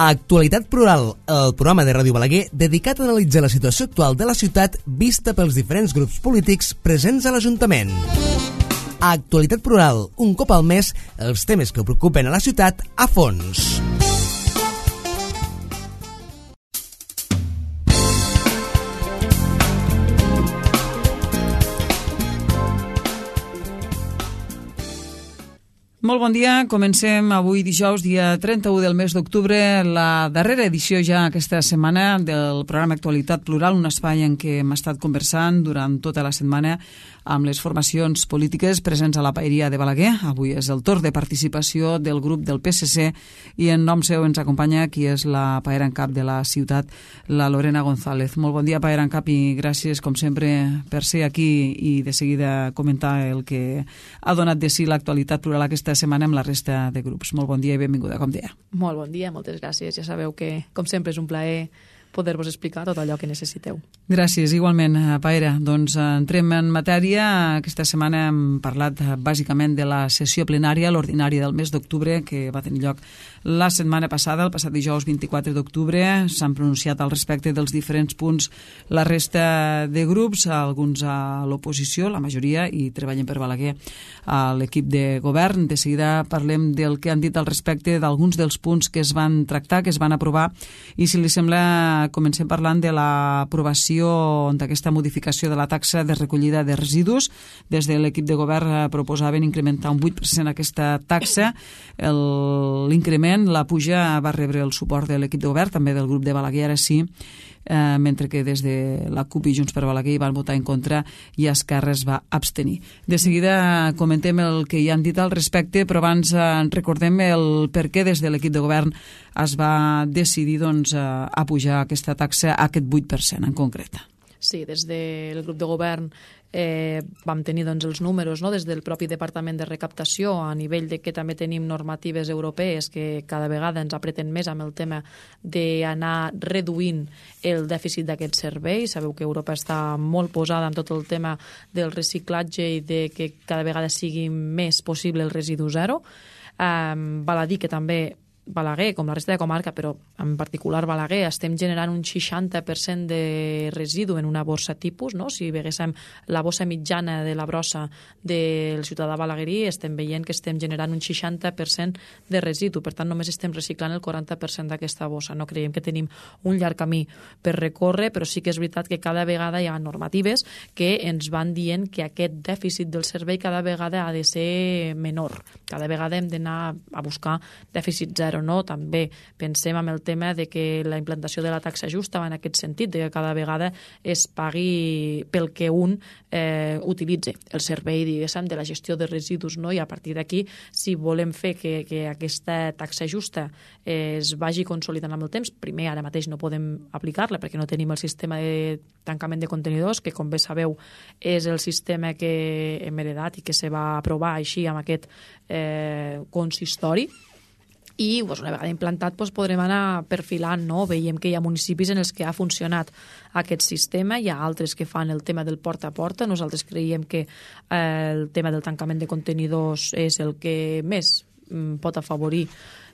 A Actualitat Plural, el programa de Ràdio Balaguer dedicat a analitzar la situació actual de la ciutat vista pels diferents grups polítics presents a l'Ajuntament. A Actualitat Plural, un cop al mes, els temes que preocupen a la ciutat a fons. Molt bon dia, comencem avui dijous, dia 31 del mes d'octubre, la darrera edició ja aquesta setmana del programa Actualitat Plural, un espai en què hem estat conversant durant tota la setmana amb les formacions polítiques presents a la Paeria de Balaguer. Avui és el torn de participació del grup del PSC i en nom seu ens acompanya qui és la paera en cap de la ciutat, la Lorena González. Molt bon dia, paera en cap, i gràcies, com sempre, per ser aquí i de seguida comentar el que ha donat de si l'actualitat plural aquesta setmana amb la resta de grups. Molt bon dia i benvinguda, com deia. Molt bon dia, moltes gràcies. Ja sabeu que, com sempre, és un plaer poder-vos explicar tot allò que necessiteu. Gràcies, igualment, Paera. Doncs entrem en matèria. Aquesta setmana hem parlat bàsicament de la sessió plenària, l'ordinària del mes d'octubre, que va tenir lloc la setmana passada, el passat dijous 24 d'octubre. S'han pronunciat al respecte dels diferents punts la resta de grups, alguns a l'oposició, la majoria, i treballen per Balaguer a l'equip de govern. De seguida parlem del que han dit al respecte d'alguns dels punts que es van tractar, que es van aprovar, i si li sembla comencem parlant de l'aprovació d'aquesta modificació de la taxa de recollida de residus. Des de l'equip de govern proposaven incrementar un 8% aquesta taxa. L'increment, la puja, va rebre el suport de l'equip de govern, també del grup de Balaguer, ara sí, mentre que des de la CUP i Junts per Balaguer hi van votar en contra i Esquerra es va abstenir. De seguida comentem el que hi han dit al respecte, però abans recordem el per què des de l'equip de govern es va decidir a pujar aquesta taxa a aquest 8% en concret. Sí, des del grup de govern vam tenir els números, des del propi Departament de Recaptació, a nivell de que també tenim normatives europees que cada vegada ens apreten més amb el tema d'anar reduint el dèficit d'aquest servei. Sabeu que Europa està molt posada en tot el tema del reciclatge i de que cada vegada sigui més possible el residu zero. Val a dir que també Balaguer, com la resta de comarca, però en particular Balaguer, estem generant un 60% de residu en una bossa tipus, no? Si veiéssim la bossa mitjana de la brossa del ciutadà balaguerí, estem veient que estem generant un 60% de residu. Per tant, només estem reciclant el 40% d'aquesta bossa. No creiem que tenim un llarg camí per recórrer, però sí que és veritat que cada vegada hi ha normatives que ens van dient que aquest dèficit del servei cada vegada ha de ser menor. Cada vegada hem d'anar a buscar dèficit zero. No? També pensem en el tema de que la implantació de la taxa justa va en aquest sentit, de que cada vegada es pagui pel que un utilitzi el servei, diguéssim, de la gestió de residus, no? I a partir d'aquí, si volem fer que aquesta taxa justa es vagi consolidant amb el temps, primer, ara mateix no podem aplicar-la perquè no tenim el sistema de tancament de contenidors, que com bé sabeu és el sistema que hem heredat i que se va aprovar així amb aquest consistori. I una vegada implantat podrem anar perfilant, no? Veiem que hi ha municipis en els que ha funcionat aquest sistema, hi ha altres que fan el tema del porta a porta. Nosaltres creiem que el tema del tancament de contenidors és el que més pot afavorir,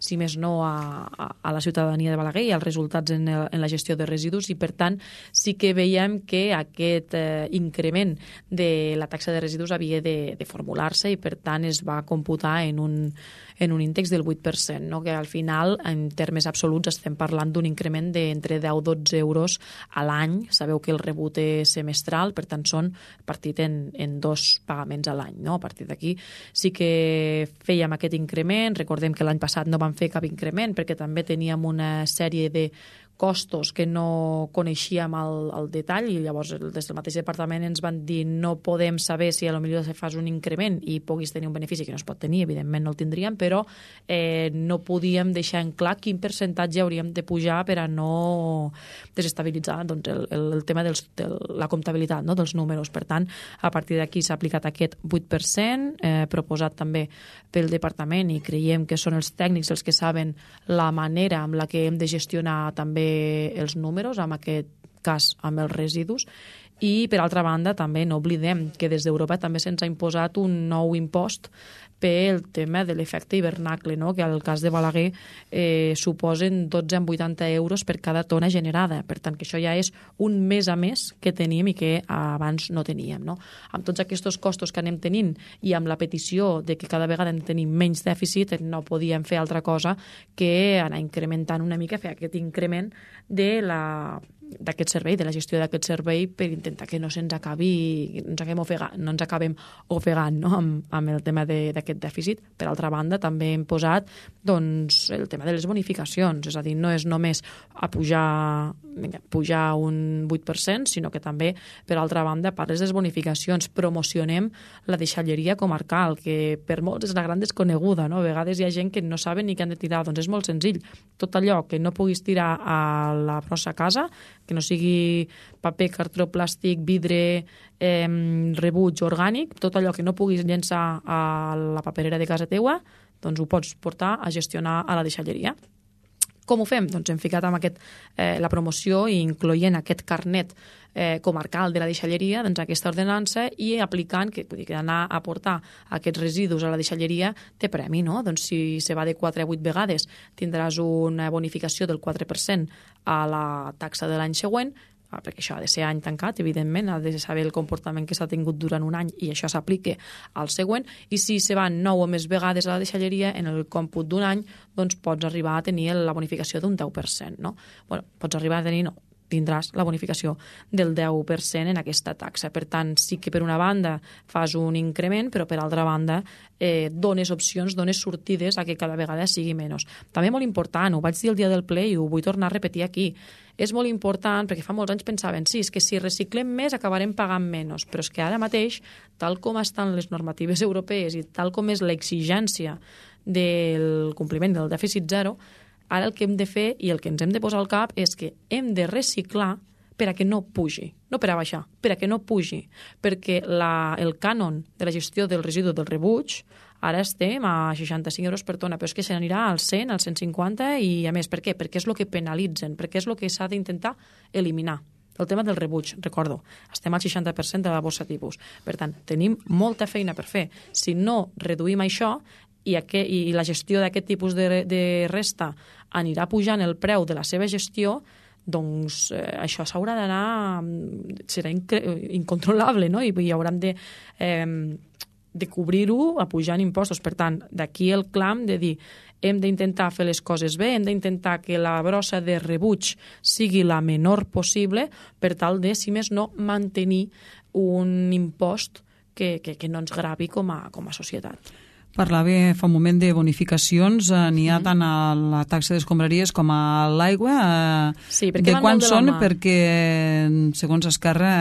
si més no, a la ciutadania de Balaguer i als resultats en la gestió de residus, i per tant sí que veiem que aquest increment de la taxa de residus havia de formular-se i per tant es va computar en un índex del 8%, no? Que al final, en termes absoluts, estem parlant d'un increment d'entre 10 i 12 euros a l'any. Sabeu que el rebut és semestral, per tant són partit en 2 pagaments a l'any, no? A partir d'aquí sí que fèiem aquest increment. Recordem que l'any passat no vam fer cap increment perquè també teníem una sèrie de costos que no coneixíem al detall, i llavors des del mateix departament ens van dir no podem saber si potser se fas un increment i puguis tenir un benefici, que no es pot tenir, evidentment no el tindríem, però no podíem deixar en clar quin percentatge hauríem de pujar per a no desestabilitzar el tema de la comptabilitat, no? Dels números. Per tant, a partir d'aquí s'ha aplicat aquest 8%, proposat també pel departament, i creiem que són els tècnics els que saben la manera amb la que hem de gestionar també els números, en aquest cas amb els residus, I, per altra banda, també no oblidem que des d'Europa també se'ns ha imposat un nou impost pel tema de l'efecte hivernacle, no? Que al cas de Balaguer suposen 12,80 euros per cada tona generada. Per tant, que això ja és un més a més que tenim i que abans no teníem. No? Amb tots aquests costos que anem tenint i amb la petició de que cada vegada en tenim menys dèficit, no podíem fer altra cosa que anar incrementant una mica, fer aquest increment d'aquest servei, de la gestió d'aquest servei, per intentar que no se'ns acabi, no ens acabem ofegant, no? amb el tema d'aquest dèficit. Per altra banda, també hem posat doncs, el tema de les bonificacions, és a dir, no és només a pujar un 8%, sinó que també, per altra banda, a part de les bonificacions, promocionem la deixalleria comarcal, que per molts és una gran desconeguda, no? A vegades hi ha gent que no saben ni què han de tirar, doncs és molt senzill. Tot allò que no puguis tirar a la nostra casa, que no sigui paper, cartró, plàstic, vidre, rebuig orgànic, tot allò que no puguis llençar a la paperera de casa teua, doncs ho pots portar a gestionar a la deixalleria. Com ho fem? Doncs hem ficat amb la promoció i incloent aquest carnet comarcal de la deixalleria, doncs aquesta ordenança, i aplicant que anar a portar aquests residus a la deixalleria té premi, no? Doncs si se va de 4 a 8 vegades tindràs una bonificació del 4% a la taxa de l'any següent, perquè això ha de ser any tancat, evidentment, ha de saber el comportament que s'ha tingut durant un any i això s'aplica al següent, i si se van 9 o més vegades a la deixalleria, en el còmput d'un any, doncs pots arribar a tenir la bonificació d'un 10%, no? Bueno, pots arribar a tenir, no, tindràs la bonificació del 10% en aquesta taxa. Per tant, sí que per una banda fas un increment, però per altra banda dones opcions, dones sortides a que cada vegada sigui menys. També molt important, ho vaig dir el dia del ple i ho vull tornar a repetir aquí, és molt important, perquè fa molts anys pensaven, sí, és que si reciclem més acabarem pagant menys, però és que ara mateix, tal com estan les normatives europees i tal com és l'exigència del compliment del dèficit zero, ara el que hem de fer i el que ens hem de posar al cap és que hem de reciclar per a que no pugi, no per a baixar, per a que no pugi, perquè el cànon de la gestió del residu del rebuig ara estem a 65 euros per tona, però és que se n'anirà als 100, als 150 i a més, per què? Perquè és el que penalitzen, perquè és el que s'ha d'intentar eliminar. El tema del rebuig, recordo, estem al 60% de la bossa tipus. Per tant, tenim molta feina per fer. Si no reduïm això i la gestió d'aquest tipus de resta anirà pujant el preu de la seva gestió, doncs això s'haurà d'anar, serà incontrolable, no? I hauran de cobrir-ho apujant impostos. Per tant, d'aquí el clam de dir hem d'intentar fer les coses bé, hem d'intentar que la brossa de rebuig sigui la menor possible per tal de, si més no, mantenir un impost que no ens gravi com a societat. Parlava fa un moment de bonificacions, n'hi ha tant a la taxa d'escombraries com a l'aigua. Sí, perquè de quan són? Perquè, segons Esquerra,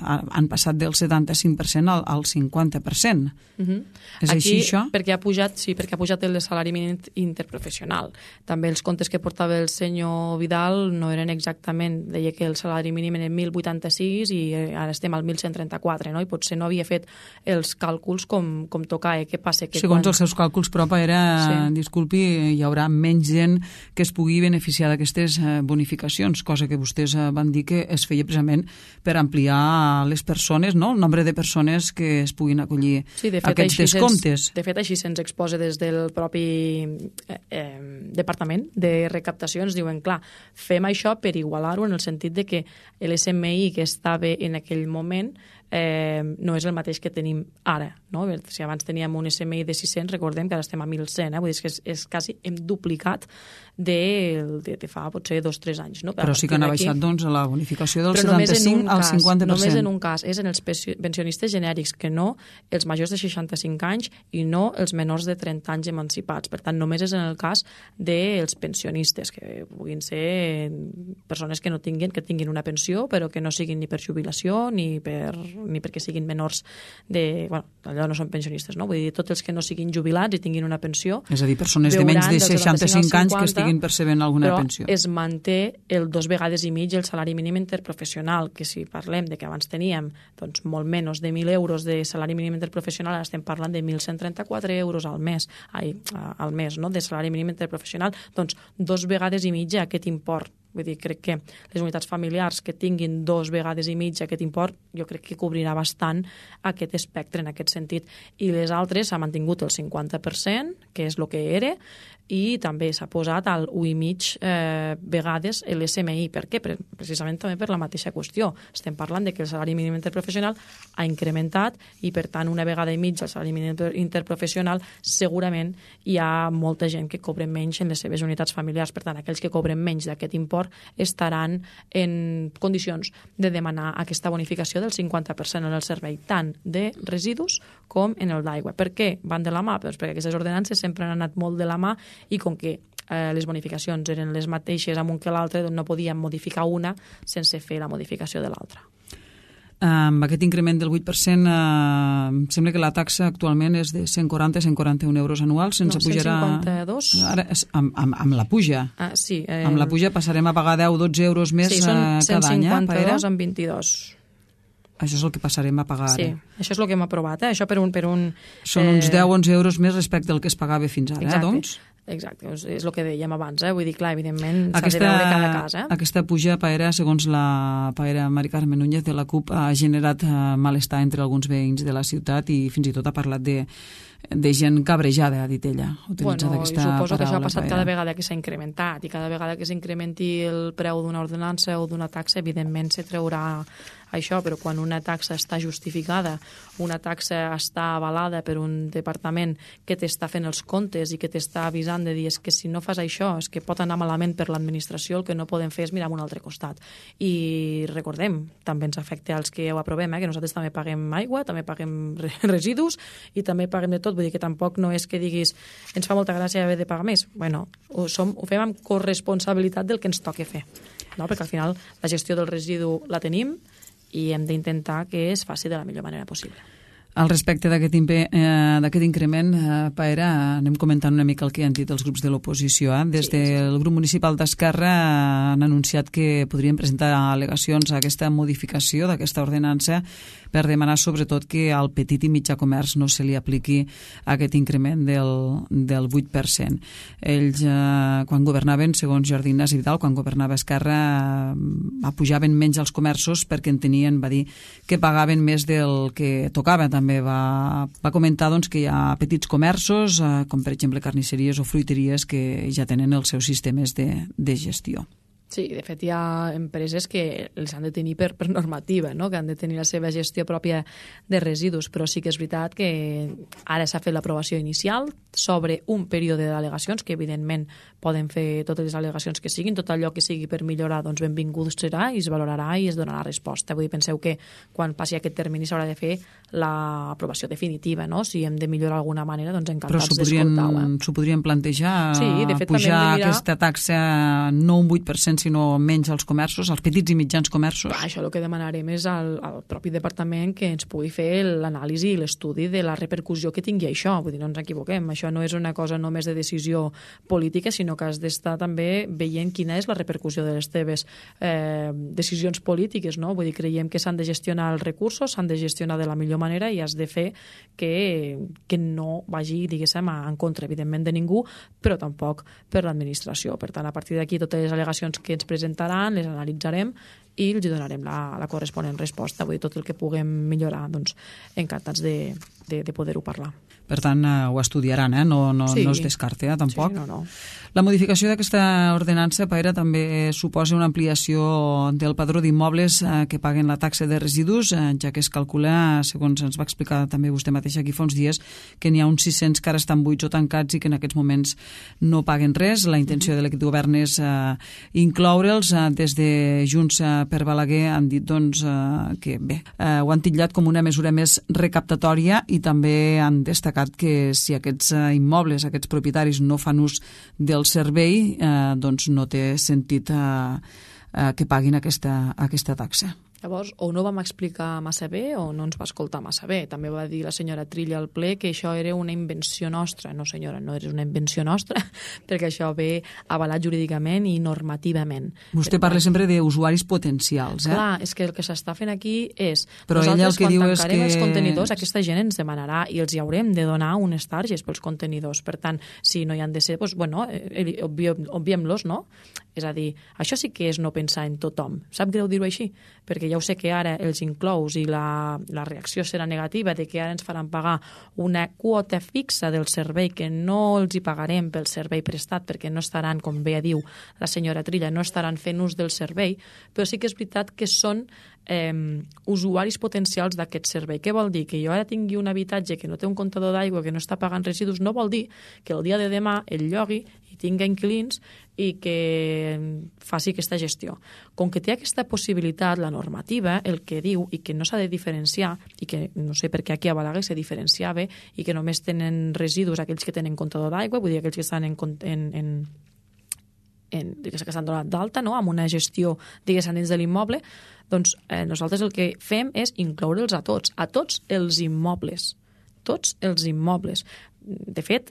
han passat del 75% al 50%. És així, això? Perquè ha pujat el salari mínim interprofessional. També els comptes que portava el senyor Vidal no eren exactament, deia que el salari mínim era 1.086 i ara estem al 1.134, no? I potser no havia fet els càlculs com tocava. Què passa? Segons els seus càlculs, però, disculpi, hi haurà menys gent que es pugui beneficiar d'aquestes bonificacions, cosa que vostès van dir que es feia precisament per ampliar les persones, no? El nombre de persones que es puguin acollir a aquests descomptes. De fet, així se'ns exposa des del propi Departament de Recaptació. Ens diuen, clar, fem això per igualar-ho en el sentit de que l'SMI que estava en aquell moment no és el mateix que tenim ara, no? Si abans teníem un SMI de 600, recordem que ara estem a 1.100, vull dir que és quasi hem duplicat de fa potser 2 o 3 anys. No? Però sí que han baixat doncs la bonificació del 75 al 50%. Només en un cas, és en els pensionistes genèrics, que no els majors de 65 anys i no els menors de 30 anys emancipats. Per tant, només és en el cas dels pensionistes, que puguin ser persones que tinguin una pensió, però que no siguin ni per jubilació ni perquè siguin menors de... Bueno, allò no són pensionistes, no? Vull dir, tots els que no siguin jubilats i tinguin una pensió... És a dir, persones de menys de 65 anys que estiguin percebent alguna pensió. Però es manté el 2,5 vegades el salari mínim interprofessional, que si parlem de que abans teníem doncs, molt menys de 1.000 euros de salari mínim interprofessional, ara estem parlant de 1.134 euros al mes, no? De salari mínim interprofessional, doncs 2,5 vegades aquest import Vull dir, crec que les unitats familiars que tinguin 2 vegades i mitja aquest import, jo crec que cobrirà bastant aquest espectre en aquest sentit. I les altres s'ha mantingut el 50%, que és el que era, i també s'ha posat al 1,5 vegades l'SMI. Per què? Precisament també per la mateixa qüestió. Estem parlant de que el salari mínim interprofessional ha incrementat i, per tant, 1 vegada i mitja el salari mínim interprofessional, segurament hi ha molta gent que cobren menys en les seves unitats familiars. Per tant, aquells que cobren menys d'aquest import estaran en condicions de demanar aquesta bonificació del 50% en el servei, tant de residus com en el d'aigua. Per què van de la mà? Doncs perquè aquestes ordenances sempre han anat molt de la mà i com que les bonificacions eren les mateixes amb un que l'altre, doncs no podíem modificar una sense fer la modificació de l'altra. Amb aquest increment del 8%, sembla que la taxa actualment és de 140-141 euros anuals, sense pujarà... 152. Ara, amb la puja. Sí. Amb la puja passarem a pagar 10-12 euros més cada any. Sí, són 152 amb 22. Això és el que passarem a pagar ara. Sí, això és el que hem aprovat. Això per un... Són uns 10-11 euros més respecte al que es pagava fins ara, exacte, doncs? Exacte, és el que dèiem abans. Vull dir, clar, evidentment s'ha de veure cada cas. Aquesta puja, Paera, segons la Paera Mari Carmen Núñez de la CUP, ha generat malestar entre alguns veïns de la ciutat i fins i tot ha parlat de gent cabrejada, ha dit ella, utilitzat aquesta paraula. Suposo que això ha passat cada vegada que s'ha incrementat i cada vegada que s'incrementi el preu d'una ordenança o d'una taxa, evidentment se treurà això, però quan una taxa està justificada, una taxa està avalada per un departament que t'està fent els comptes i que t'està avisant de dir és que si no fas això és que pot anar malament per l'administració, el que no podem fer és mirar a un altre costat. I recordem, també ens afecta als que ho aprovem, que nosaltres també paguem aigua, també paguem residus i també paguem de tot, vull dir que tampoc no és que diguis ens fa molta gràcia haver de pagar més. Bueno, ho fem amb corresponsabilitat del que ens toca fer, no? Perquè al final la gestió del residu la tenim i hem d'intentar que es faci de la millor manera possible. Al respecte d'aquest increment, Paera, anem comentant una mica el que han dit els grups de l'oposició. Des del grup municipal d'Esquerra han anunciat que podrien presentar al·legacions a aquesta modificació d'aquesta ordenança per demanar sobretot que al petit i mitjà comerç no se li apliqui aquest increment del 8%. Ells, quan governaven, segons Jordi Ignasi Vidal, quan governava Esquerra, apujaven menys els comerços perquè entenien, va dir, que pagaven més del que tocava. També va comentar doncs, que hi ha petits comerços, com per exemple carnisseries o fruiteries, que ja tenen els seus sistemes de gestió. Sí, de fet hi ha empreses que els han de tenir per normativa, no? Que han de tenir la seva gestió pròpia de residus, però sí que és veritat que ara s'ha fet l'aprovació inicial sobre un període d'al·legacions, que evidentment poden fer totes les al·legacions que siguin, tot allò que sigui per millorar, doncs benvingut serà i es valorarà i es donarà resposta. Vull dir, penseu que quan passi aquest termini s'haurà de fer l'aprovació definitiva, no? Si hem de millorar d'alguna manera, doncs encantats d'escoltar-ho. Però s'ho podrien plantejar, sí, de fet, pujar aquesta taxa no un 8%, sinó menys als comerços, als petits i mitjans comerços. Clar, això el que demanarem és al propi departament que ens pugui fer l'anàlisi i l'estudi de la repercussió que tingui això. Vull dir, no ens equivoquem, això no és una cosa només de decisió política, sinó que has d'estar també veient quina és la repercussió de les teves decisions polítiques, no? Vull dir, creiem que s'han de gestionar els recursos, s'han de gestionar de la millor manera i has de fer que no vagi, diguéssim, en contra, evidentment, de ningú, però tampoc per l'administració. Per tant, a partir d'aquí, totes les al·legacions que ens presentaran, les analitzarem i els donarem la corresponent resposta. Vull dir, tot el que puguem millorar, doncs, encantats de poder-ho parlar. Per tant, ho estudiaran, no es descarta, tampoc. Sí, no. La modificació d'aquesta ordenança, Paera, també suposa una ampliació del padró d'immobles que paguen la taxa de residus, ja que es calcula, segons ens va explicar també vostè mateix aquí fa uns dies, que n'hi ha uns 600 que ara estan buits o tancats i que en aquests moments no paguen res. La intenció de l'equip de govern és incloure'ls. Des de Junts per Balaguer han dit doncs, que bé, ho han titllat com una mesura més recaptatòria i també han destacat que si aquests immobles, aquests propietaris no fan ús del servei, doncs no té sentit que paguin aquesta taxa. Llavors, o no vam explicar massa bé o no ens va escoltar massa bé. També va dir la senyora Trilla al ple que això era una invenció nostra. No, senyora, no és una invenció nostra, perquè això ve avalat jurídicament i normativament. Vostè parla sempre d'usuaris potencials, Clar, és que el que s'està fent aquí és... Però ella el que diu és que... els contenidors, aquesta gent ens demanarà i els hi haurem de donar unes targes pels contenidors. Per tant, si no hi han de ser, doncs, bueno, obviem-los, no? És a dir, això sí que és no pensar en tothom. Sap greu dir-ho així? Perquè ja ho sé que ara els inclous i la reacció serà negativa de que ara ens faran pagar una quota fixa del servei que no els hi pagarem pel servei prestat perquè no estaran, com bé diu la senyora Trilla, no estaran fent ús del servei, però sí que és veritat que són usuaris potencials d'aquest servei. Què vol dir? Que jo ara tingui un habitatge que no té un comptador d'aigua, que no està pagant residus, no vol dir que el dia de demà el llogui i tingui inquilins i que faci aquesta gestió. Com que té aquesta possibilitat, la normativa, el que diu, i que no s'ha de diferenciar, i que no sé per què aquí a Balaguer se diferenciava, i que només tenen residus aquells que tenen comptador d'aigua, vull dir aquells que estan que s'han donat d'alta, no? Amb una gestió, diguéssim, dins de l'immoble, doncs nosaltres el que fem és incloure'ls a tots els immobles. Tots els immobles. De fet,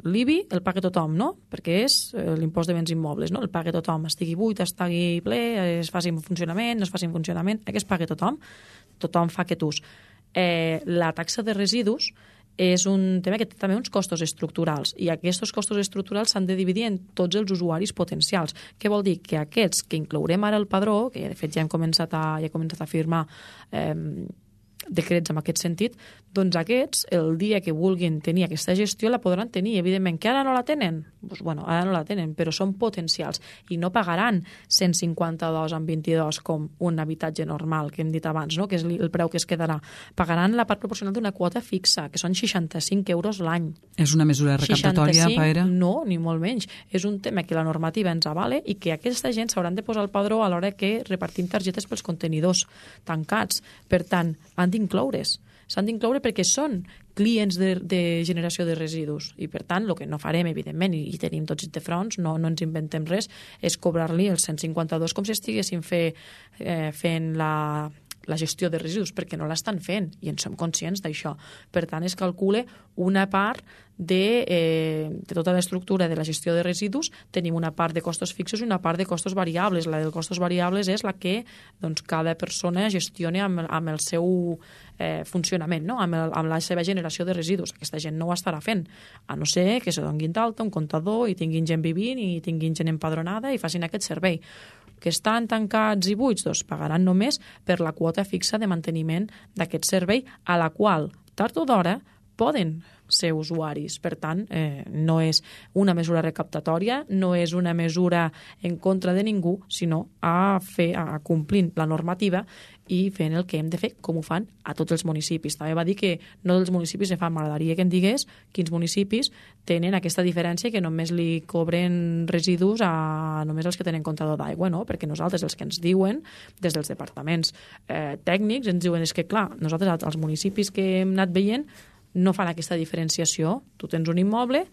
l'IBI el paga tothom, no? Perquè és l'impost de béns immobles, no? El paga tothom, estigui buit, estigui ple, es faci en funcionament, no es faci en funcionament, aquest paga tothom. Tothom fa aquest ús. La taxa de residus és un tema que té també uns costos estructurals i aquests costos estructurals s'han de dividir en tots els usuaris potencials. Què vol dir? Que aquests que inclourem ara al padró, que de fet ja hem començat a firmar decrets en aquest sentit, doncs aquests, el dia que vulguin tenir aquesta gestió, la podran tenir. Evidentment, que ara no la tenen? Doncs, bueno, ara no la tenen, però són potencials i no pagaran 152 amb 22 com un habitatge normal, que hem dit abans, no? Que és el preu que es quedarà. Pagaran la part proporcional d'una quota fixa, que són 65 euros l'any. És una mesura recaptatòria, 65, Paera? No, ni molt menys. És un tema que la normativa ens avale i que aquesta gent s'hauran de posar al padró a l'hora que repartim targetes pels contenidors tancats. Per tant, han d'incloure's. S'han d'incloure perquè són clients de generació de residus i, per tant, el que no farem, evidentment, i tenim tots de fronts, no ens inventem res, és cobrar-li els 152 com si estiguessin fent la gestió de residus, perquè no l'estan fent i en som conscients d'això. Per tant, es calcula una part de tota l'estructura de la gestió de residus. Tenim una part de costos fixos i una part de costos variables. La de costos variables és la que cada persona gestiona amb el seu funcionament, no? amb la seva generació de residus. Aquesta gent no ho estarà fent, a no ser que se donguin d'alta un comptador i tinguin gent vivint i tinguin gent empadronada i facin aquest servei. Que estan tancats i buits, doncs pagaran només per la quota fixa de manteniment d'aquest servei, a la qual, tard o d'hora, poden ser usuaris. Per tant, no és una mesura recaptatòria, no és una mesura en contra de ningú, sinó a complint la normativa i fent el que hem de fer, com ho fan a tots els municipis. També va dir que no dels municipis se fan. M'agradaria que em digués quins municipis tenen aquesta diferència, que només li cobren residus a només els que tenen comptador d'aigua, no? Perquè nosaltres, els que ens diuen, des dels departaments tècnics, ens diuen és que, clar, nosaltres, els municipis que hem anat veient, no fan aquesta diferenciació. Tu tens un immoble,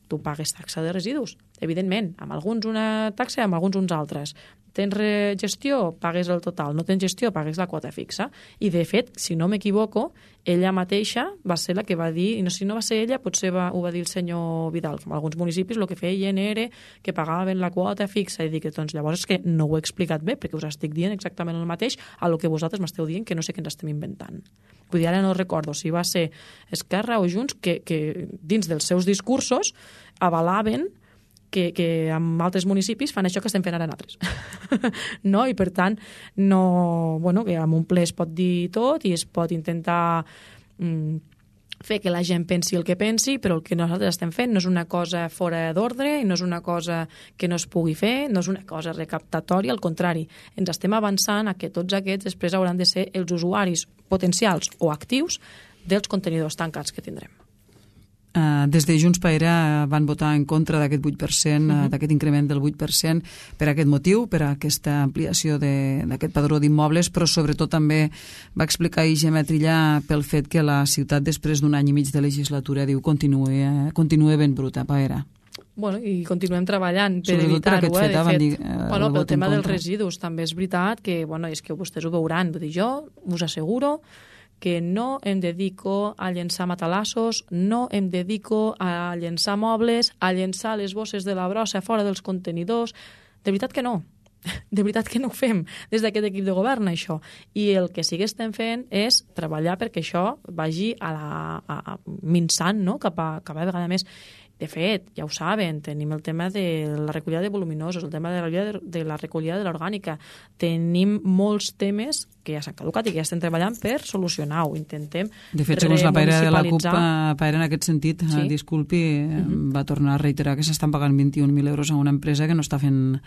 tu pagues taxa de residus. Evidentment, amb alguns una taxa, amb alguns uns altres. Tens gestió, pagues el total. No tens gestió, pagues la quota fixa. I, de fet, si no m'equivoco, ella mateixa va ser la que va dir, i si no va ser ella, potser ho va dir el senyor Vidal, que en alguns municipis el que feien era que pagaven la quota fixa. I dic, doncs llavors és que no ho he explicat bé, perquè us estic dient exactament el mateix a lo que vosaltres m'esteu dient, que no sé què ens estem inventant. Vull dir, ara no recordo si va ser Esquerra o Junts que dins dels seus discursos avalaven que en altres municipis fan això que estem fent ara nosaltres. No? I per tant, que en un ple es pot dir tot i es pot intentar fer que la gent pensi el que pensi, però el que nosaltres estem fent no és una cosa fora d'ordre i no és una cosa que no es pugui fer, no és una cosa recaptatòria, al contrari, ens estem avançant a que tots aquests després hauran de ser els usuaris potencials o actius dels contenidors tancats que tindrem. Des de Junts Paera van votar en contra d'aquest 8%, d'aquest increment del 8% per aquest motiu, per aquesta ampliació d'aquest padró d'immobles, però sobretot també va explicar Gemma Trilla pel fet que la ciutat, després d'un any i mig de legislatura, diu continua ben bruta, Paera. Bueno, i continuem treballant per evitar-ho, de fet. Pel tema dels residus també és veritat que, és que vostès ho veuran. Vull dir, jo us asseguro que no em dedico a llençar matalassos, no em dedico a llençar mobles, a llençar les bosses de la brossa fora dels contenidors. De veritat que no. De veritat que no ho fem des d'aquest equip de govern, això. I el que sí que estem fent és treballar perquè això vagi minçant, no? cap a vegada més. De fet, ja ho saben, tenim el tema de la recollida de voluminosos, el tema de la recollida de l'orgànica. Tenim molts temes que ja s'han caducat i que ja estem treballant per solucionar-ho. Intentem de fet, segons la Paira de la CUP, remunicipalitzar. En aquest sentit, Sí. disculpi, va tornar a reiterar que s'estan pagant 21.000 euros a una empresa que no està fent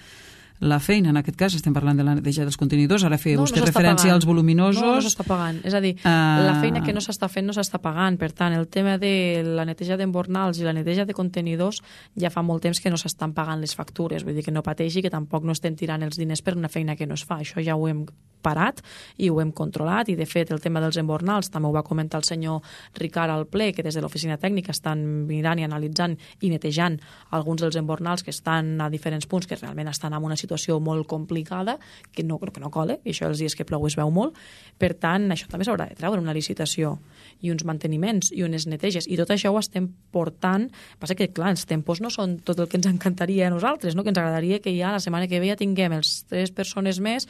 la feina. En aquest cas estem parlant de la neteja dels contenidors. Ara feia vostè referència als voluminosos. No s'està pagant. És a dir, la feina que no s'està fent no s'està pagant. Per tant, el tema de la neteja d'embornals i la neteja de contenidors ja fa molt temps que no s'estan pagant les factures. Vull dir que no pateixi, que tampoc no estem tirant els diners per una feina que no es fa. Això ja ho hem parat i ho hem controlat, i de fet el tema dels embornals també ho va comentar el senyor Ricard al ple, que des de l'oficina tècnica estan mirant i analitzant i netejant alguns dels embornals que estan a diferents punts, que realment estan en una situació molt complicada, que no cola, i això els dies que plou es veu molt. Per tant, això també s'haurà de treure una licitació i uns manteniments i unes neteges, i tot això ho estem portant. Passa que, clar, els tempos no són tot el que ens encantaria a nosaltres, no? Que ens agradaria que ja la setmana que ve ja tinguem els 3 persones més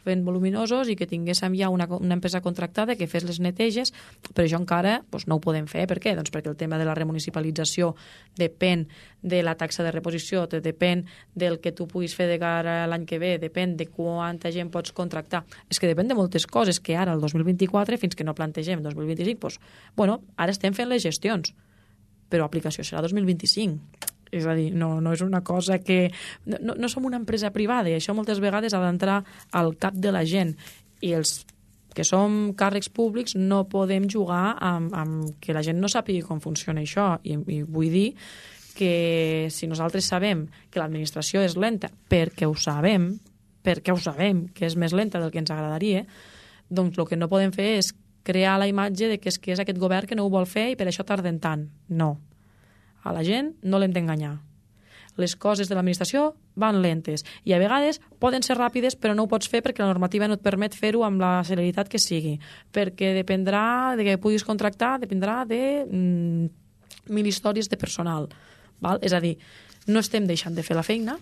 fent voluminosos i que tinguéssim ja una empresa contractada que fes les neteges, però això encara no ho podem fer. Per què? Doncs perquè el tema de la remunicipalització depèn de la taxa de reposició, depèn del que tu puguis fer de cara a l'any que ve, depèn de quanta gent pots contractar. És que depèn de moltes coses que ara, el 2024, fins que no plantegem 2025, ara estem fent les gestions, però aplicació serà 2025. És a dir, no és una cosa que... No som una empresa privada, i això moltes vegades ha d'entrar al cap de la gent. I els que som càrrecs públics no podem jugar amb que la gent no sàpiga com funciona això. I vull dir que si nosaltres sabem que l'administració és lenta, perquè ho sabem que és més lenta del que ens agradaria, doncs el que no podem fer és crear la imatge de que és aquest govern que no ho vol fer i per això tarden tant. No. A la gent no l'hem d'enganyar. Les coses de l'administració van lentes i a vegades poden ser ràpides, però no ho pots fer perquè la normativa no et permet fer-ho amb la celeritat que sigui, perquè dependrà de que puguis contractar, dependrà de 1.000 històries de personal. Val? És a dir, no estem deixant de fer la feina,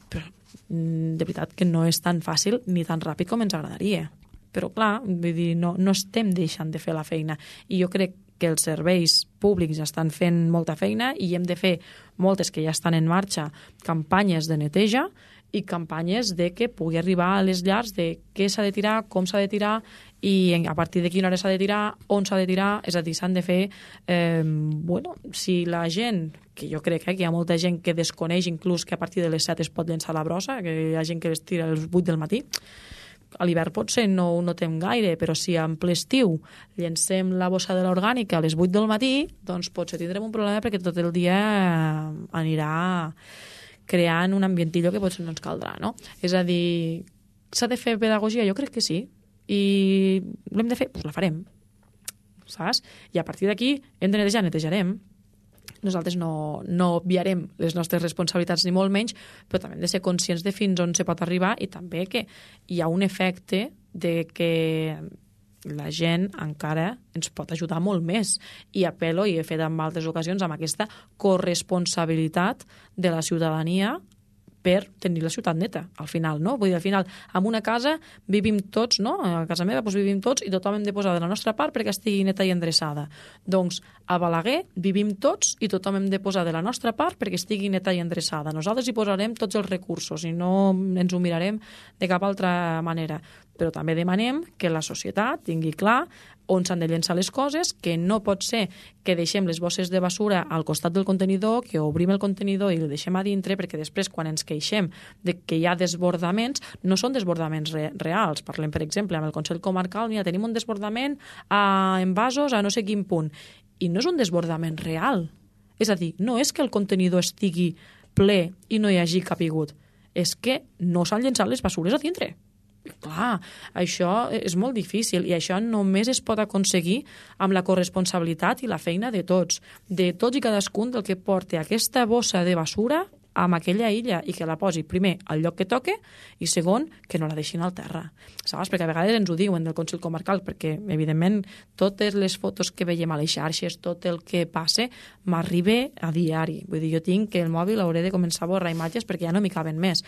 però de veritat que no és tan fàcil ni tan ràpid com ens agradaria. Però clar, vull dir, no estem deixant de fer la feina, i jo crec que els serveis públics estan fent molta feina i hem de fer moltes que ja estan en marxa, campanyes de neteja i campanyes de que pugui arribar a les llars de què s'ha de tirar, com s'ha de tirar i a partir de quina hora s'ha de tirar, on s'ha de tirar. És a dir, s'han de fer... si la gent, que jo crec que hi ha molta gent que desconeix inclús que a partir de les 7 es pot llençar la brossa, que hi ha gent que es tira a les 8 del matí, a l'hivern potser no ho notem gaire, però si en ple estiu llencem la bossa de l'orgànica a les 8 del matí, doncs potser tindrem un problema perquè tot el dia anirà creant un ambientillo que potser no ens caldrà, no? És a dir, s'ha de fer pedagogia? Jo crec que sí. I l'hem de fer? Doncs la farem. Saps? I a partir d'aquí hem de netejar, netejarem. Nosaltres no obviarem les nostres responsabilitats ni molt menys, però també hem de ser conscients de fins on se pot arribar i també que hi ha un efecte de que la gent encara ens pot ajudar molt més. I apel·lo, i he fet en altres ocasions, amb aquesta corresponsabilitat de la ciutadania per tenir la ciutat neta, al final, no? Vull dir, al final, en una casa vivim tots, no? A casa meva vivim tots i tothom hem de posar de la nostra part perquè estigui neta i endreçada. Doncs a Balaguer vivim tots i tothom hem de posar de la nostra part perquè estigui neta i endreçada. Nosaltres hi posarem tots els recursos i no ens ho mirarem de cap altra manera. Però també demanem que la societat tingui clar on s'han de llençar les coses, que no pot ser que deixem les bosses de basura al costat del contenidor, que obrim el contenidor i el deixem a dintre, perquè després quan ens queixem de que hi ha desbordaments, no són desbordaments reals. Parlem, per exemple, amb el Consell Comarcal, mira, tenim un desbordament en vasos a no sé quin punt, i no és un desbordament real. És a dir, no és que el contenidor estigui ple i no hi hagi capigut, és que no s'han llençat les bessures a dintre. Clar, això és molt difícil i això només es pot aconseguir amb la corresponsabilitat i la feina de tots i cadascun del que porta aquesta bossa de basura amb aquella illa i que la posi primer al lloc que toque i segon, que no la deixin al terra. Saps? Perquè a vegades ens ho diuen del Consell Comarcal, perquè evidentment totes les fotos que veiem a les xarxes, tot el que passa, m'arriba a diari. Vull dir, jo tinc que el mòbil hauré de començar a borrar imatges perquè ja no m'hi caben més.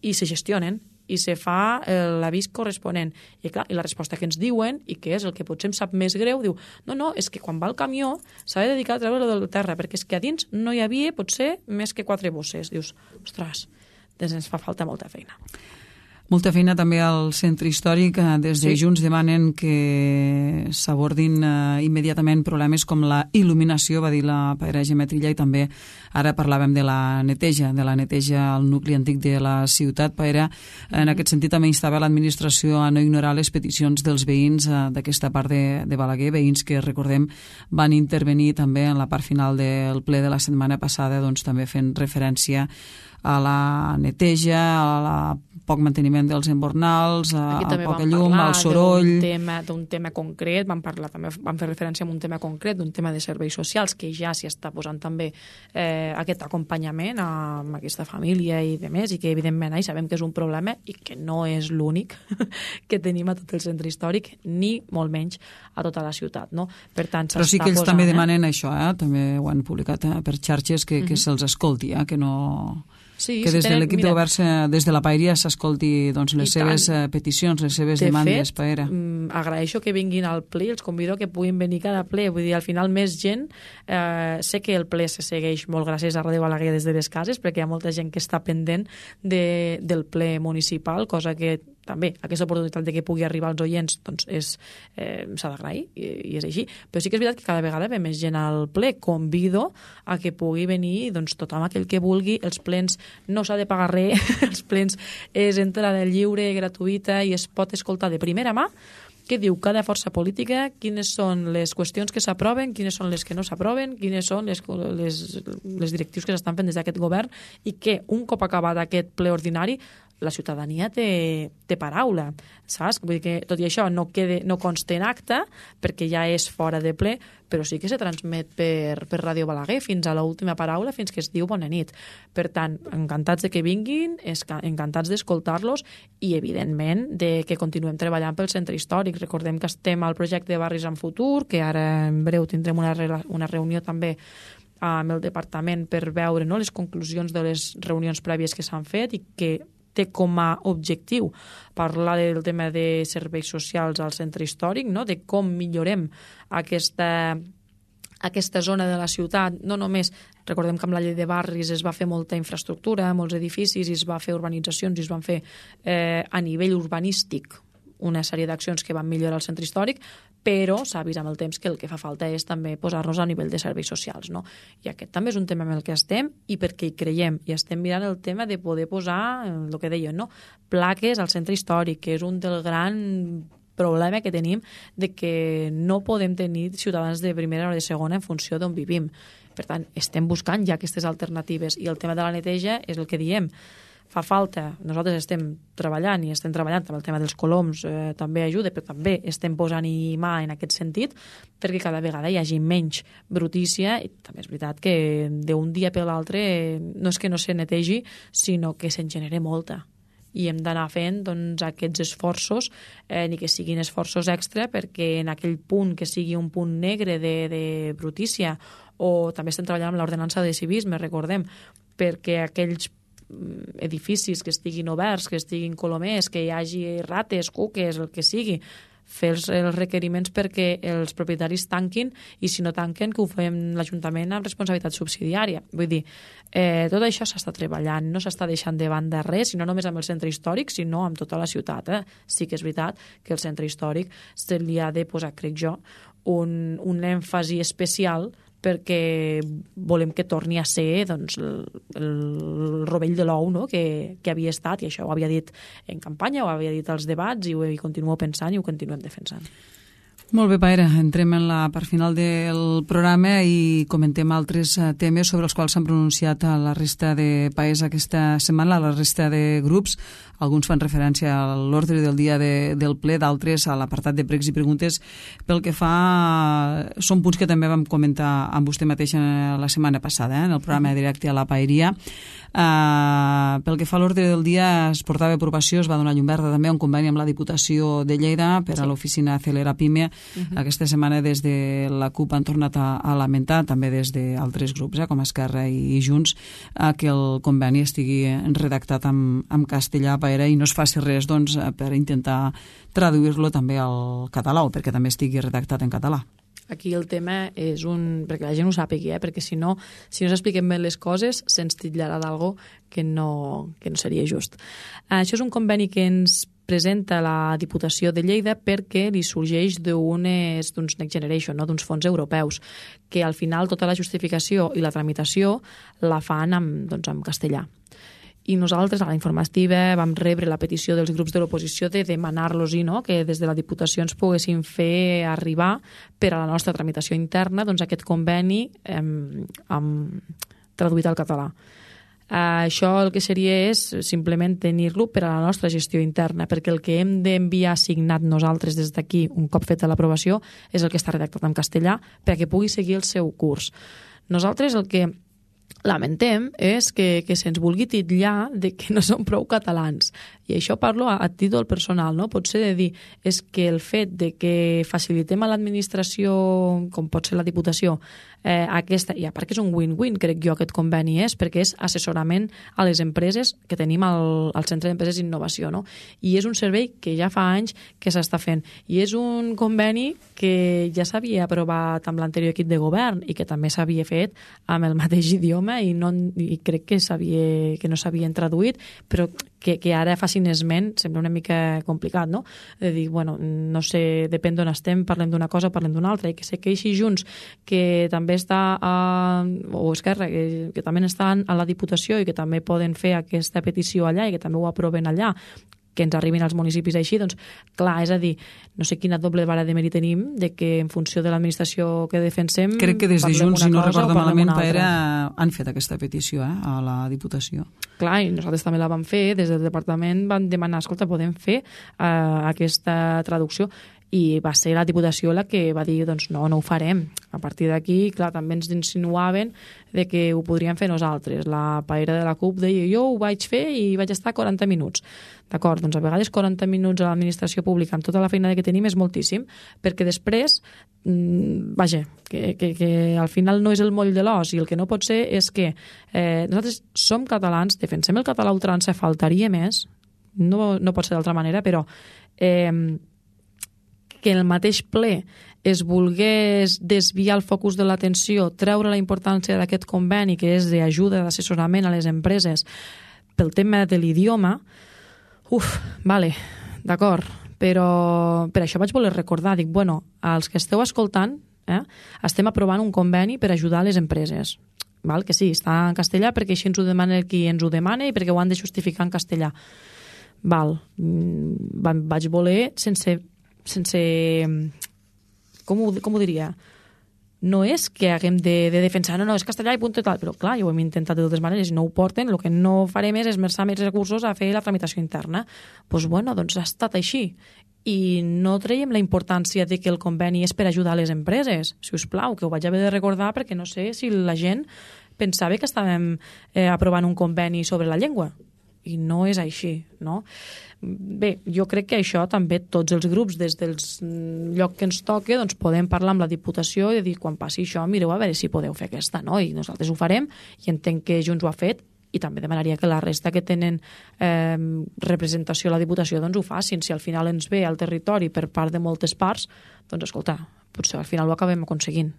I se gestionen, i se fa l'avís corresponent. I clar, i la resposta que ens diuen, i que és el que potser em sap més greu, diu, no, és que quan va el camió s'ha de dedicar a treure-lo del terra, perquè és que a dins no hi havia potser més que 4 bosses. Dius, ostres, doncs ens fa falta molta feina. Molta feina també al centre històric. Des de Junts demanen que s'abordin immediatament problemes com la il·luminació, va dir la Paera Gemetrilla, i també ara parlàvem de la neteja al nucli antic de la ciutat. Paera, en aquest sentit, també instava l'administració a no ignorar les peticions dels veïns d'aquesta part de Balaguer, veïns que, recordem, van intervenir també en la part final del ple de la setmana passada, doncs també fent referència a la neteja, a la poc manteniment dels embornals, a poca llum, al soroll. D'un tema concret, vam fer referència a un tema concret, d'un tema de serveis socials, que ja s'hi està posant també aquest acompanyament amb aquesta família i demés, i que evidentment sabem que és un problema i que no és l'únic que tenim a tot el centre històric, ni molt menys a tota la ciutat. No? Per tant, però sí que ells també demanen això, també ho han publicat per xarxes, que se'ls escolti, que no... Sí, que des de l'equip de govern, des de la Paeria, s'escolti les seves peticions, les seves demandes, Paera. Agraeixo que vinguin al ple, els convido que puguin venir cada ple, vull dir, al final més gent, sé que el ple se segueix molt gràcies a Ràdio Balaguer des de les cases, perquè hi ha molta gent que està pendent del ple municipal, cosa que també aquesta oportunitat de que pugui arribar als oients doncs s'ha d'agrair i és així, però sí que és veritat que cada vegada ve més gent al ple. Convido a que pugui venir tothom aquell que vulgui. Els plens no s'ha de pagar res, els plens és entrada lliure, gratuïta, i es pot escoltar de primera mà què diu cada força política, quines són les qüestions que s'aproven, quines són les que no s'aproven, quines són les directius que s'estan fent des d'aquest govern, i que un cop acabat aquest ple ordinari la ciutadania té paraula, saps? Vull dir que tot i això no consta en acte, perquè ja és fora de ple, però sí que se transmet per Ràdio Balaguer fins a l'última paraula, fins que es diu bona nit. Per tant, encantats de que vinguin, encantats d'escoltar-los, i evidentment de que continuem treballant pel centre històric. Recordem que estem al projecte de Barris en Futur, que ara en breu tindrem una reunió també amb el departament per veure les conclusions de les reunions prèvies que s'han fet, i que té com a objectiu parlar del tema de serveis socials al centre històric, de com millorem aquesta zona de la ciutat. No només, recordem que amb la llei de barris es va fer molta infraestructura, molts edificis, i es va fer urbanitzacions, i es van fer a nivell urbanístic una sèrie d'accions que van millorar el centre històric, però s'ha vist amb el temps que el que fa falta és també posar-nos a nivell de serveis socials. I aquest també és un tema amb el que estem, i perquè hi creiem, i estem mirant el tema de poder posar, el que deien, plaques al centre històric, que és un del gran problema que tenim, de que no podem tenir ciutadans de primera o de segona en funció d'on vivim. Per tant, estem buscant ja aquestes alternatives, i el tema de la neteja és el que diem. Fa falta, nosaltres estem treballant amb el tema dels coloms, també ajuda, però també estem posant-hi mà en aquest sentit, perquè cada vegada hi hagi menys brutícia, i també és veritat que d'un dia per l'altre no és que no se netegi, sinó que se'n genera molta. I hem d'anar fent aquests esforços, ni que siguin esforços extra, perquè en aquell punt que sigui un punt negre de brutícia, o també estem treballant amb l'ordenança de civisme, recordem, perquè aquells edificis que estiguin oberts, que estiguin colomers, que hi hagi rates, cuques, el que sigui, fer els requeriments perquè els propietaris tanquin, i si no tanquen, que ho fem l'Ajuntament amb responsabilitat subsidiària. Vull dir, tot això s'està treballant, no s'està deixant de banda res, no només amb el centre històric, sinó amb tota la ciutat. Sí que és veritat que el centre històric se li ha de posar, crec jo, un èmfasi especial, perquè volem que torni a ser el rovell de l'ou que havia estat, i això ho havia dit en campanya, ho havia dit als debats, i ho continuo pensant i ho continuem defensant. Molt bé, Paera, entrem en la part final del programa i comentem altres temes sobre els quals s'han pronunciat a la resta de països aquesta setmana, a la resta de grups. Alguns fan referència a l'ordre del dia del ple, d'altres a l'apartat de pregs i preguntes. Pel que fa, són punts que també vam comentar amb vostè mateix la setmana passada, en el programa directe a la Paeria. Pel que fa a l'ordre del dia, es portava a aprovació, es va donar llum verda també un conveni amb la Diputació de Lleida per a l'oficina Acelera Pime. Aquesta setmana des de la CUP han tornat a lamentar, també des d'altres grups, com Esquerra i Junts, que el conveni estigui redactat en castellà, i no es faci res per intentar traduir-lo també al català, o perquè també estigui redactat en català. Aquí el tema és perquè la gent ho sàpigui, perquè si no s'expliquen bé les coses, se'ns titllarà d'algo que no seria just. Això és un conveni que ens presenta la Diputació de Lleida perquè li sorgeix d'uns Next Generation, d'uns fons europeus, que al final tota la justificació i la tramitació la fan en castellà. I nosaltres a la informativa vam rebre la petició dels grups de l'oposició de demanar-los que des de la Diputació ens poguessin fer arribar per a la nostra tramitació interna aquest conveni traduït al català. Això el que seria és simplement tenir-lo per a la nostra gestió interna, perquè el que hem d'enviar signat nosaltres des d'aquí, un cop feta l'aprovació, és el que està redactat en castellà perquè pugui seguir el seu curs. Nosaltres el que lamentem és que se'ns vulgui titllar de que no som prou catalans. I això parlo a títol personal, no? Potser de dir és que el fet de que facilitem a l'administració, com pot ser la Diputació, aquesta, i a part que és un win-win, crec jo, aquest conveni perquè és assessorament a les empreses que tenim al Centre d'Empreses d'Innovació, no? I és un servei que ja fa anys que s'està fent. I és un conveni que ja s'havia aprovat amb l'anterior equip de govern i que també s'havia fet amb el mateix idioma i crec que no s'havien traduït, però que ara facin esment sembla una mica complicat, no? De dir, bueno, no sé, depèn d'on estem, parlem d'una cosa, parlem d'una altra, i que sé que així Junts, que també està o Esquerra, que també estan a la Diputació i que també poden fer aquesta petició allà i que també ho aproven allà, que ens arribin als municipis així, doncs, clar, és a dir, no sé quina doble vara de mèrit tenim de que en funció de l'administració que defensem... Crec que des de Junts, si no recordo malament, han fet aquesta petició a la Diputació. Clar, i nosaltres també la vam fer, des del departament vam demanar, escolta, podem fer aquesta traducció, i va ser la Diputació la que va dir, doncs no ho farem. A partir d'aquí, clar, també ens insinuaven de que ho podríem fer nosaltres. La paella de la CUP deia, jo ho vaig fer i vaig estar 40 minuts. D'acord, doncs a vegades 40 minuts a l'administració pública amb tota la feina que tenim és moltíssim, perquè després, vaja, que al final no és el moll de l'os, i el que no pot ser és que nosaltres som catalans, defensem el català a ultrança, faltaria més, no pot ser d'altra manera, però que el mateix ple es volgués desviar el focus de l'atenció, treure la importància d'aquest conveni, que és d'ajuda, d'assessorament a les empreses, pel tema de l'idioma, vale, d'acord, però per això vaig voler recordar, dic, bueno, als que esteu escoltant, estem aprovant un conveni per ajudar les empreses, val? Que sí, està en castellà perquè així ens ho demana qui ens ho demana i perquè ho han de justificar en castellà. Val, vaig voler sense com ho diria, no és que haguem de defensar, no, és castellà i punt i tal, però clar, ja ho hem intentat de totes maneres i no ho porten, el que no farem és esmerçar més recursos a fer la tramitació interna. Doncs bueno, doncs ha estat així. I no traiem la importància de que el conveni és per ajudar les empreses, si us plau, que ho vaig haver de recordar perquè no sé si la gent pensava que estàvem aprovant un conveni sobre la llengua. I no és així, no? Bé, jo crec que això també tots els grups, des del lloc que ens toque, doncs podem parlar amb la Diputació i dir, quan passi això, mireu a veure si podeu fer aquesta, no? I nosaltres ho farem, i entenc que Junts ho ha fet, i també demanaria que la resta que tenen representació a la Diputació doncs ho facin. Si al final ens ve al territori per part de moltes parts, doncs escolta, potser al final ho acabem aconseguint.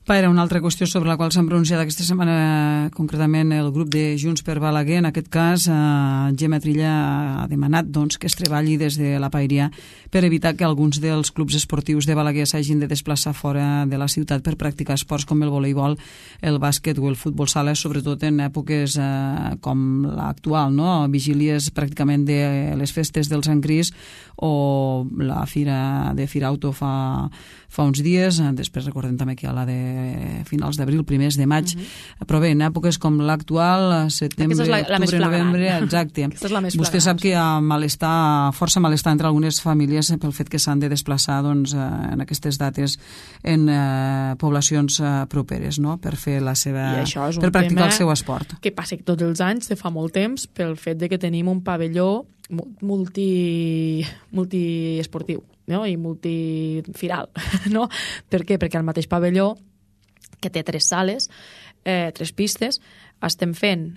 Era una altra qüestió sobre la qual s'han pronunciat aquesta setmana, concretament el grup de Junts per Balaguer. En aquest cas, Gemma Trilla ha demanat que es treballi des de la Paeria per evitar que alguns dels clubs esportius de Balaguer s'hagin de desplaçar fora de la ciutat per practicar esports com el voleibol, el bàsquet o el futbol sala, sobretot en èpoques com l'actual, no? Vigílies pràcticament de les festes del Sant Crist o la fira de Firauto fa uns dies. Després recordem també que hi ha la de finals d'abril, primers de maig, però bé, en èpoques com l'actual, setembre, octubre, novembre, exacte. Vostè sap que hi ha força malestar entre algunes famílies pel fet que s'han de desplaçar en aquestes dates en poblacions properes, no?, per fer per practicar el seu esport. Que passa tots els anys, de fa molt temps, pel fet de que tenim un pavelló multiesportiu, no?, i multifiral, no? Per què? Perquè el mateix pavelló, que té 3 sales, 3 pistes, estem fent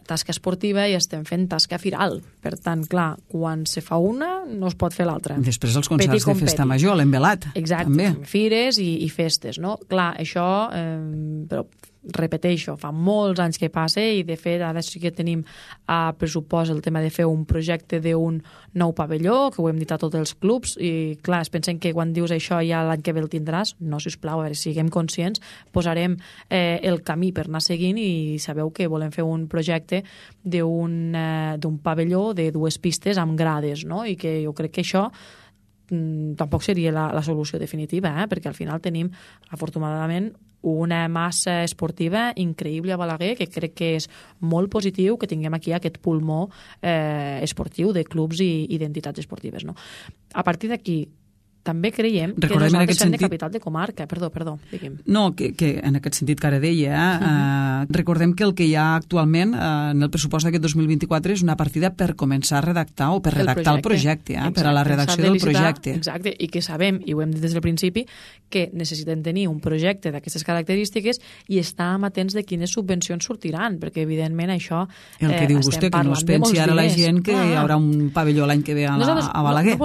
tasca esportiva i estem fent tasca firal. Per tant, clar, quan se fa una, no es pot fer l'altra. Després els concerts de festa major, l'envelat. Exacte, fires i festes, no? Clar, això, però repeteixo, fa molts anys que passa i de fet ara sí que tenim a pressupost el tema de fer un projecte d'un nou pavelló, que ho hem dit a tots els clubs, i clar, es pensen que quan dius això ja l'any que ve el tindràs. No, sisplau, a veure, siguem conscients, posarem el camí per anar seguint i sabeu que volem fer un projecte d'un pavelló de 2 pistes amb grades, no? I que jo crec que això tampoc seria la solució definitiva, perquè al final tenim, afortunadament, una massa esportiva increïble a Balaguer, que crec que és molt positiu que tinguem aquí aquest pulmó esportiu de clubs i d'entitats esportives, no? A partir d'aquí, també creiem que nosaltres som de capital de comarca. Perdó, diguem. No, que en aquest sentit que ara deia, recordem que el que hi ha actualment en el pressupost d'aquest 2024 és una partida per començar a redactar o per redactar el projecte, per a la redacció del projecte. Exacte, i que sabem, i ho hem dit des del principi, que necessitem tenir un projecte d'aquestes característiques i estar atents de quines subvencions sortiran, perquè evidentment això el que diu vostè, que no es pensi ara la gent que hi haurà un pavelló l'any que ve a Balaguer.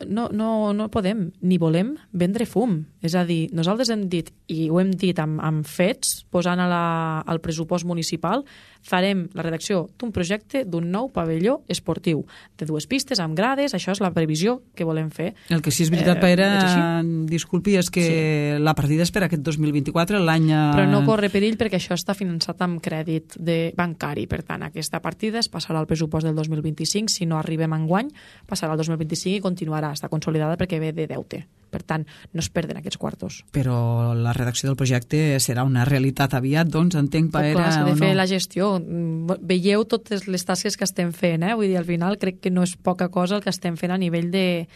No podem ni volem vendre fum. És a dir, nosaltres hem dit, i ho hem dit amb fets, posant al pressupost municipal, farem la redacció d'un projecte d'un nou pavelló esportiu, de 2 pistes amb grades, això és la previsió que volem fer. El que sí és veritat, Paera, disculpi, és que la partida és per aquest 2024, l'any... Però no corre perill perquè això està finançat amb crèdit bancari, per tant, aquesta partida es passarà al pressupost del 2025, si no arribem enguany, passarà al 2025 i continuarà, està consolidada perquè ve de deute. Per tant, no es perden aquests quartos. Però la redacció del projecte serà una realitat aviat, doncs, entenc, Paera, o no? De fer la gestió. Veieu totes les tasques que estem fent, Vull dir, al final crec que no és poca cosa el que estem fent a nivell de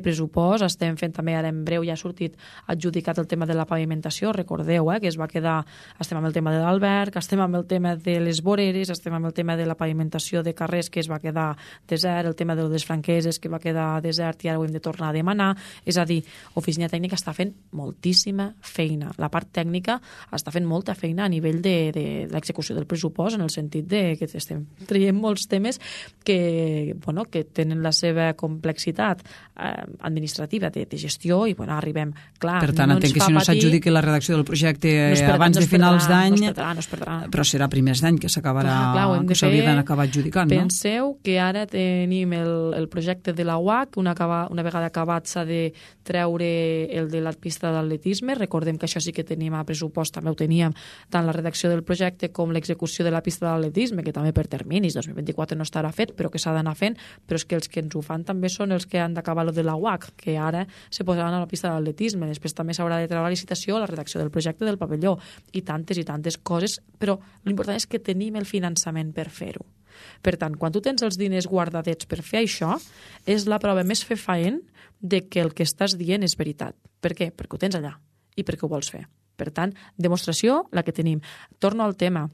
pressupost. Estem fent també, ara en breu ja ha sortit adjudicat el tema de la pavimentació. Recordeu, que es va quedar... Estem amb el tema de l'alberg, estem amb el tema de les voreres, estem amb el tema de la pavimentació de carrers, que es va quedar desert, el tema de les franqueses, que va quedar desert i ara ho hem de tornar a demanar. És a dir, Oficina Tècnica està fent moltíssima feina. La part tècnica està fent molta feina a nivell de l'execució del pressupost, en el sentit de que estem traient molts temes que tenen la seva complexitat administrativa de gestió i arribem, clar, per tant, entenc que si no s'adjudiqui la redacció del projecte abans de finals d'any, no es perdrà. Però serà primers d'any que s'acabarà, que s'hauria d'acabar adjudicant, no? Penseu que ara tenim el projecte de la UAC, una vegada acabat s'ha de treure el de la pista d'atletisme. Recordem que això sí que tenim a pressupost, també ho teníem, tant la redacció del projecte com l'execució de la pista d'atletisme, que també per terminis, 2024 no estarà fet, però que s'ha d'anar fent, però és que els que ens ho fan també són els que han d'acabar el de la UAC, que ara se posaran a la pista d'atletisme. Després també s'haurà de treure la licitació, la redacció del projecte del pavelló, i tantes coses, però l'important és que tenim el finançament per fer-ho. Per tant, quan tu tens els diners guardadets per fer això, és la prova més fefaent de que el que estàs dient és veritat. Per què? Perquè ho tens allà i perquè ho vols fer. Per tant, demostració la que tenim. Torno al tema.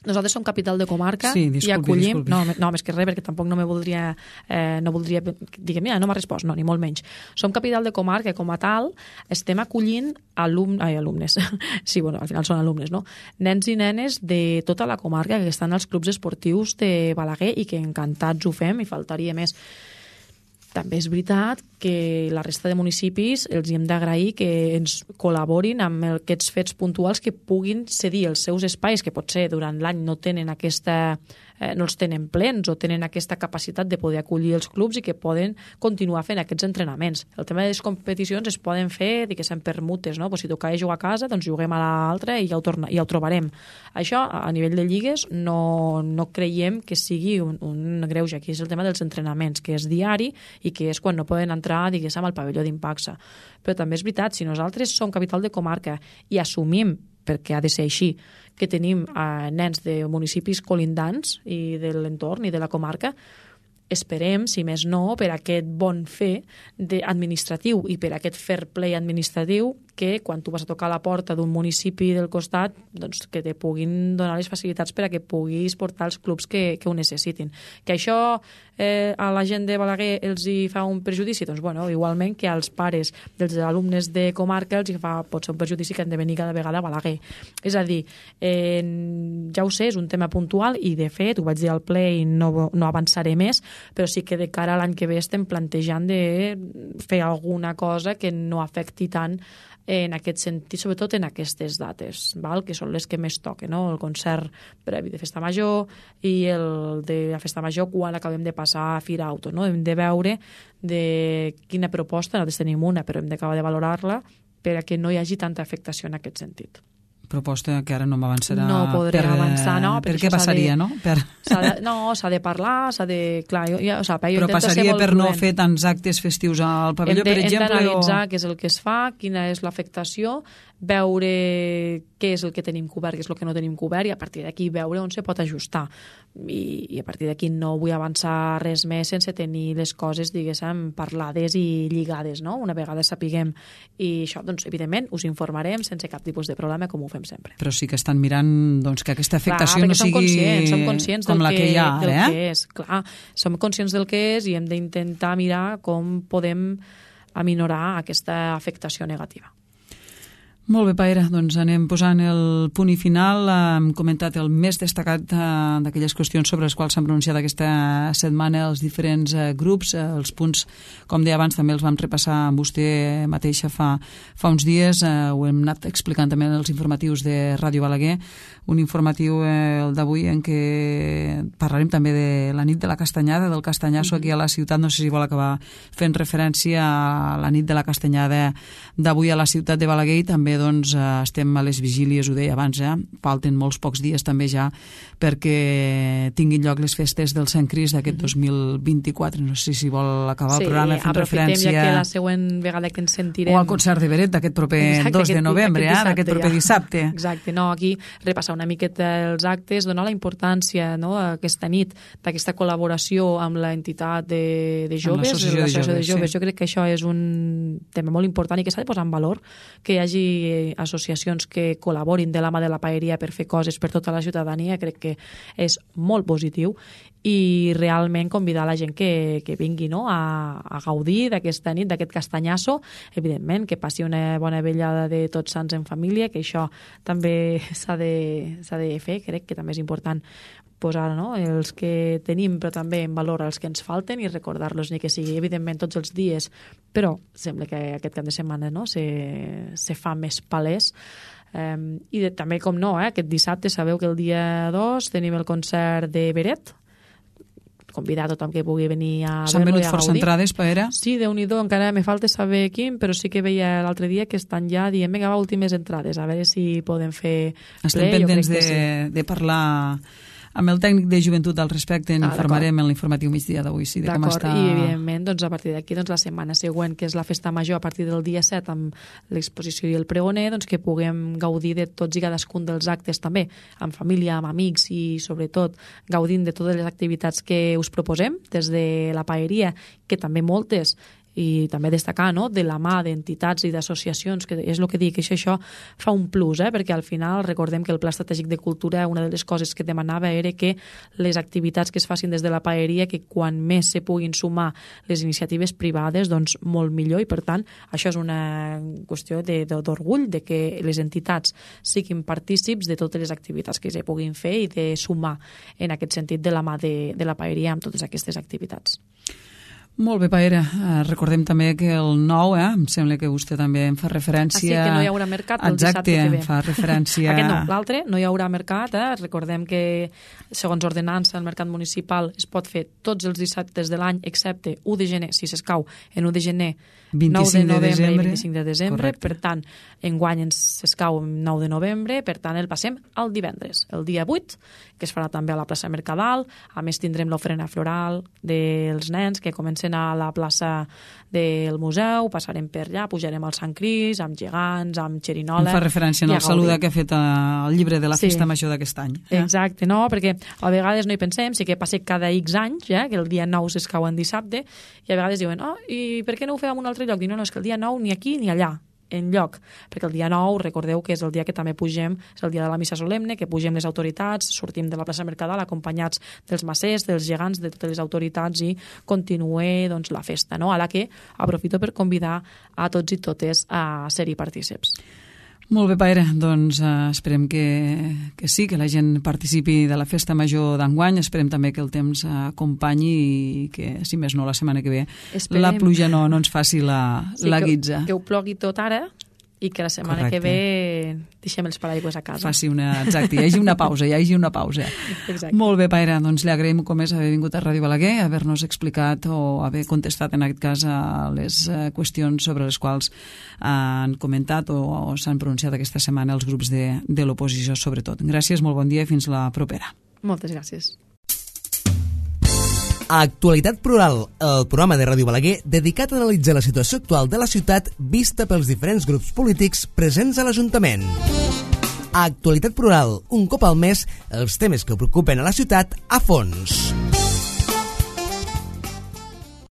Nosaltres som capital de comarca i acollim... No, més que res, perquè tampoc no voldria dir, mira, no m'ha respost, no, ni molt menys. Som capital de comarca, com a tal, estem acollint alumnes. Sí, bueno, al final són alumnes, no? Nens i nenes de tota la comarca que estan als clubs esportius de Balaguer i que encantats ho fem, i faltaria més. També és veritat que la resta de municipis els hem d'agrair que ens col·laborin amb aquests fets puntuals que puguin cedir els seus espais, que potser durant l'any no tenen aquesta no els tenen plens o tenen aquesta capacitat de poder acollir els clubs i que poden continuar fent aquests entrenaments. El tema de les competicions es poden fer, diguéssim, per mutes, no? Pues si tocava jugar a casa, doncs juguem a l'altra i ja ho trobarem. Això, a nivell de lligues, no creiem que sigui un greuge. Aquí és el tema dels entrenaments, que és diari i que és quan no poden entrar, diguéssim, al pavelló d'Impacsa. Però també és veritat, si nosaltres som capital de comarca i assumim, perquè ha de ser així, que tenim nens de municipis colindants i de l'entorn i de la comarca, esperem, si més no, per aquest bon fer administratiu i per aquest fair play administratiu, que quan tu vas a tocar a la porta d'un municipi del costat, doncs que te puguin donar les facilitats per a que puguis portar els clubs que ho necessitin. Que això a la gent de Balaguer els hi fa un perjudici? Doncs bueno, igualment que als pares dels alumnes de comarca els hi fa potser un perjudici que han de venir cada vegada a Balaguer. És a dir, ja ho sé, és un tema puntual i de fet, ho vaig dir al ple i no avançaré més, però sí que de cara a l'any que ve estem plantejant de fer alguna cosa que no afecti tant en aquest sentit, sobretot en aquestes dates, val? Que són les que més toquen, no? El concert previ de Festa Major i el de la Festa Major quan acabem de passar a Fira Auto. No? Hem de veure de quina proposta, nosaltres tenim una, però hem d'acabar de valorar-la per a que no hi hagi tanta afectació en aquest sentit. Proposta que ara no m'avançarà. No podré avançar, no? Per què passaria, no? S'ha de parlar, s'ha de... Clar, però passaria per no fer tants actes festius al pavelló, per exemple? Hem d'analitzar què és el que es fa, quina és l'afectació, veure què és el que tenim cobert, què és el que no tenim cobert, i a partir d'aquí veure on se pot ajustar. I a partir d'aquí no vull avançar res més sense tenir les coses, diguéssim, parlades i lligades, no? Una vegada sapiguem. I això, doncs, evidentment, us informarem sense cap tipus de problema, com ho fem sempre. Però sí que estan mirant doncs, que aquesta afectació no sigui som conscients com la que hi ha ara, que és. Clar, som conscients del que és i hem d'intentar mirar com podem aminorar aquesta afectació negativa. Molt bé, Paera, doncs anem posant el punt i final. Hem comentat el més destacat d'aquelles qüestions sobre les quals s'han pronunciat aquesta setmana els diferents grups. Els punts, com deia abans, també els vam repassar amb vostè mateixa fa uns dies. Ho hem anat explicant també en els informatius de Ràdio Balaguer. Un informatiu, el d'avui, en què parlarem també de la nit de la castanyada, del castanyasso aquí a la ciutat. No sé si vol acabar fent referència a la nit de la castanyada d'avui a la ciutat de Balaguer i també doncs estem a les vigílies, ho deia abans, falten molts pocs dies també ja perquè tinguin lloc les festes del Sant Crist d'aquest 2024. No sé si vol acabar el programa fent referència... Ja que la següent vegada que ens sentirem... O al concert de Beret d'aquest proper 2 de novembre, d'aquest proper dissabte. Exacte, no, aquí repassar una miqueta els actes, donar la importància, no, aquesta nit, d'aquesta col·laboració amb l'entitat de joves, l'associació de joves. Jo crec que això és un tema molt important i que s'ha de posar en valor, que hi hagi associacions que col·laborin de la mà de la paeria per fer coses per tota la ciutadania. Crec que és molt positiu i realment convidar la gent que vingui, no, a gaudir d'aquesta nit, d'aquest castanyasso. Evidentment, que passi una bona vellada de Tots Sants en família, que això també s'ha de fer. Crec que també és important posar, no, els que tenim, però també en valor els que ens falten i recordar-los, ni que sigui evidentment tots els dies, però sembla que aquest cap de setmana, no, se fa més palès. I també, com no, aquest dissabte sabeu que el dia 2 tenim el concert de Beret, convidar a tothom que pugui venir a S'han veure-lo i venut a força gaudir. entrades, Paera? Sí, Déu-n'hi-do, encara me falta saber quin, però sí que veia l'altre dia que estan ja dient, vinga, va, últimes entrades, a veure si podem fer Estem pendents de parlar amb el tècnic de joventut al respecte, informarem en l'informatiu migdia d'avui, sí, de com està... I evidentment, doncs, a partir d'aquí, doncs, la setmana següent, que és la festa major, a partir del dia 7, amb l'exposició i el pregoner, doncs, que puguem gaudir de tots i cadascun dels actes també, amb família, amb amics i, sobretot, gaudint de totes les activitats que us proposem, des de la paeria, que també moltes, i també destacar, no, de la mà d'entitats i d'associacions, que és el que dic, que això fa un plus, perquè al final recordem que el Pla Estratègic de Cultura, una de les coses que demanava era que les activitats que es facin des de la paeria, que quan més se puguin sumar les iniciatives privades, doncs molt millor, i per tant això és una qüestió d'orgull de que les entitats siguin partícips de totes les activitats que se puguin fer i de sumar en aquest sentit de la mà de la paeria amb totes aquestes activitats. Molt bé, Paera. Recordem també que el 9, em sembla que vostè també en fa referència... Sí, que no hi haurà mercat el dissabte que ve. Exacte, fa referència... Aquest no, l'altre no hi haurà mercat. Recordem que, segons ordenança, el mercat municipal es pot fer tots els dissabtes de l'any, excepte 1 de gener, si s'escau, en 1 de gener, 9 de novembre i 25 de desembre. Correcte. Per tant, enguany s'escau 9 de novembre, per tant, el passem al divendres, el dia 8, que es farà també a la plaça Mercadal. A més, tindrem l'ofrena floral dels nens, que comencen a la plaça del museu, passarem per allà, pujarem al Sant Cris, amb gegants, amb xerinola... Em fa referència al saluda que ha fet el llibre de la Festa Major d'aquest any. Exacte, no? Perquè a vegades no hi pensem, sí que passa cada X anys, que el dia 9 s'escau en dissabte, i a vegades diuen, i per què no ho fem en un altre lloc? Diu, no, és que el dia 9 ni aquí ni allà, enlloc, perquè el dia 9, recordeu que és el dia que també pugem, és el dia de la missa solemne, que pugem les autoritats, sortim de la plaça Mercadal acompanyats dels macers, dels gegants, de totes les autoritats i continue doncs, la festa, no? A la que aprofito per convidar a tots i totes a ser-hi partíceps. Molt bé, Paera, doncs esperem que sí, que la gent participi de la Festa Major d'enguany, esperem també que el temps acompanyi i que, si més no, la setmana que ve la pluja no ens faci la guitza. Que ho plogui tot ara i que la setmana que ve deixem els paraigües a casa. Exacte, hi hagi una pausa. Exacte. Molt bé, Paera, doncs li agraïm com és haver vingut a Ràdio Balaguer, haver-nos explicat o haver contestat en aquest cas a les qüestions sobre les quals han comentat o s'han pronunciat aquesta setmana els grups de l'oposició, sobretot. Gràcies, molt bon dia i fins la propera. Moltes gràcies. Actualitat Plural, el programa de Ràdio Balaguer dedicat a analitzar la situació actual de la ciutat vista pels diferents grups polítics presents a l'Ajuntament. Actualitat Plural, un cop al mes, els temes que preocupen a la ciutat a fons.